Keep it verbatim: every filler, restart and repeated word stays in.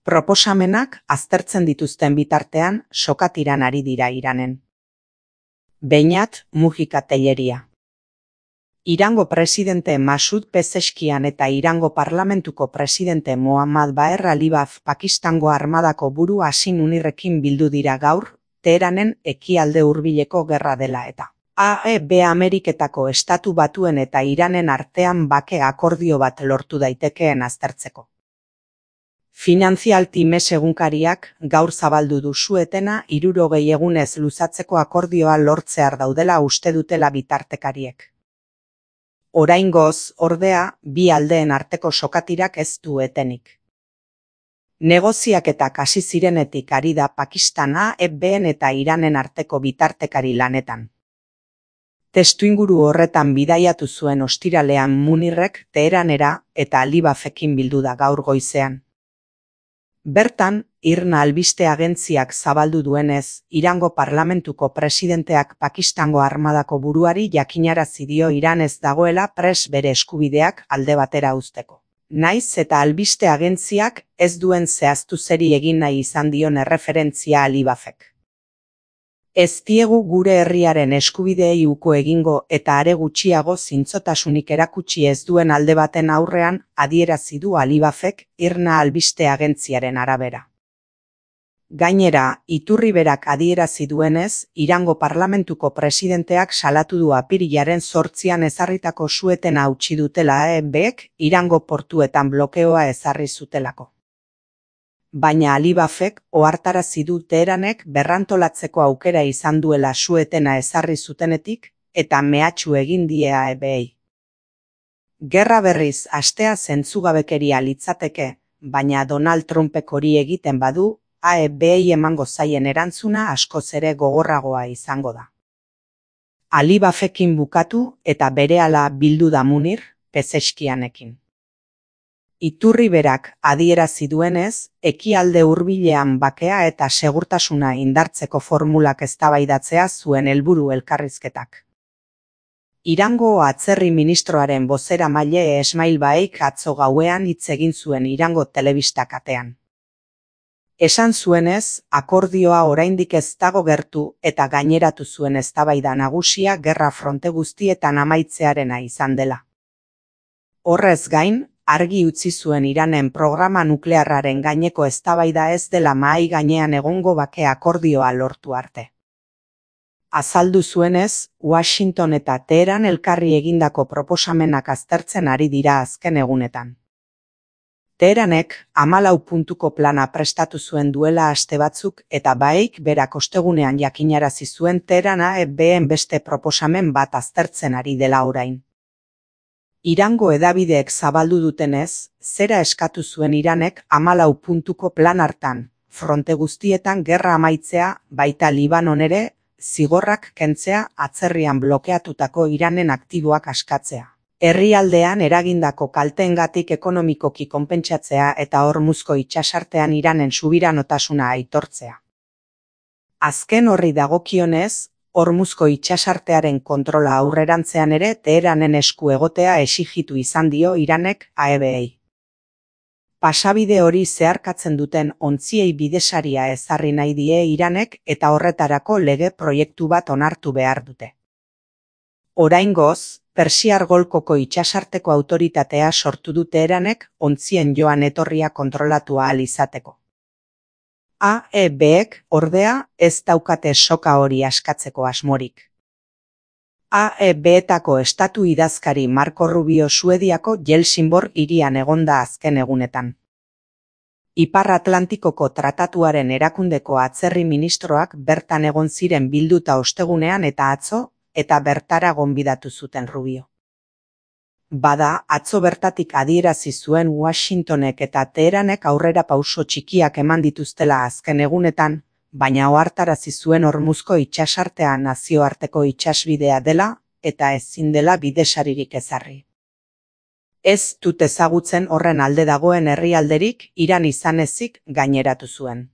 Proposamenak aztertzen dituzten bitartean sokatiran ari dira Iranen. Beñat Mujika Telleria. Irango presidente Masoud Pezeshkian eta Irango parlamentuko presidente Mohammad Baher Alibaf Pakistango armadako buru Hasin Munirrekin bildu dira gaur, Teheranen ekialde hurbileko gerra dela eta A E B Ameriketako Estatu Batuen eta Iranen artean bake akordio bat lortu daitekeen aztertzeko. Financial Times egunkariak gaur zabaldu du su-etena hirurogei egunez luzatzeko akordioa lortzear daudela uste dutela bitartekariek. Oraingoz, ordea, bi aldeen arteko sokatirak ez du etenik. Negoziaketak hasi zirenetik ari da Pakistan A E B-en eta Iranen arteko bitartekari lanetan. Testuinguru horretan bidaiatu zuen ostiralean Munirrek Teheranera eta Alibafekin bildu da gaur goizean. Bertan, IRNA albiste agentziak zabaldu duenez, Irango parlamentuko presidenteak Pakistango armadako buruari jakinarazi dio Iran ez dagoela prest bere eskubideak alde batera uzteko. Naiz eta albiste agentziak ez duen zehaztu zeri egin nahi izan dion erreferentzia Alibafek. Ez diegu gure herriaren eskubideei uko egingo eta are gutxiago zintzotasunik erakutsi ez duen alde baten aurrean adierazi du Alibafek IRNA albiste agentziaren arabera. Gainera, iturri berak adierazi duenez, Irango parlamentuko presidenteak salatu du apirilaren zortzian ezarritako su-etena hautsi dutela A E B-ek Irango portuetan blokeoa ezarri zutelako. Baina Alibafek ohartarazi du Teheranek berrantolatzeko aukera izan duela su-etena ezarri zutenetik eta mehatxu egin die A E B-ei. Gerra berriz hastea zentzugabekeria litzateke, baina Donald Trumpek hori egiten badu, A E B-ei emango zaien erantzuna askoz ere gogorragoa izango da. Alibafekin bukatu eta berehala bildu da Munir, Pezeshkianekin. Iturri berak adierazi duenez, ekialde hurbilean bakea eta segurtasuna indartzeko formulak eztabaidatzea zuen helburu elkarrizketak. Irango atzerri ministroaren bozeramaile Esmail Baik atzo gauean hitz egin zuen Irango telebista katean. Esan zuenez, akordioa oraindik ez dago gertu eta gaineratu zuen eztabaida nagusia gerra fronte guztietan amaitzearena izan dela. Horrez gain, argi utzi zuen Iranen programa nuklearraren gaineko eztabaida ez dela mahai gainean egongo bake akordioa lortu arte. Azaldu zuenez, Washington eta Teheran elkarri egindako proposamenak aztertzen ari dira azken egunetan. Teheranek hamalau puntuko plana prestatu zuen duela aste batzuk eta Baik berak ostegunean jakinarazi zuen Teheran A E B-en beste proposamen bat aztertzen ari dela orain. Irango hedabideek zabaldu dutenez, zera eskatu zuen Iranek hamalau puntuko plan hartan, fronte guztietan gerra amaitzea, baita Libanon ere, zigorrak kentzea atzerrian blokeatutako Iranen aktiboak askatzea. Herrialdean eragindako kalteengatik ekonomikoki konpentsatzea eta Hormuzko itsasartean Iranen subiranotasuna aitortzea. Azken horri dagokionez, Hormuzko itsasartearen kontrola aurrerantzean ere Teheranen esku egotea exijitu izan dio Iranek A E B-ei. Pasabide hori zeharkatzen duten ontziei bidesaria ezarri nahi die Iranek eta horretarako lege proiektu bat onartu behar dute. Oraingoz, Persiar Golkoko itsasarteko autoritatea sortu du Teheranek ontzien joan etorria kontrolatu ahal izateko. A E B-ek, ordea, ez daukate soka hori askatzeko asmorik. A E B-etako estatu idazkari Marco Rubio Suediako Helsingborg hirian egonda azken egunetan. Ipar Atlantikoko tratatuaren erakundeko atzerri ministroak bertan egon ziren bilduta ostegunean eta atzo, eta bertara gonbidatu zuten Rubio. Bada, atzo bertatik adierazi zuen Washingtonek eta Teheranek aurrera pauso txikiak eman dituztela azken egunetan, baina ohartarazi zuen Hormuzko itsasartea nazioarteko itsasbidea dela eta ezin dela bidesaririk ezarri. Ez dut ezagutzen horren alde dagoen herrialderik Iran izan ezik gaineratu zuen.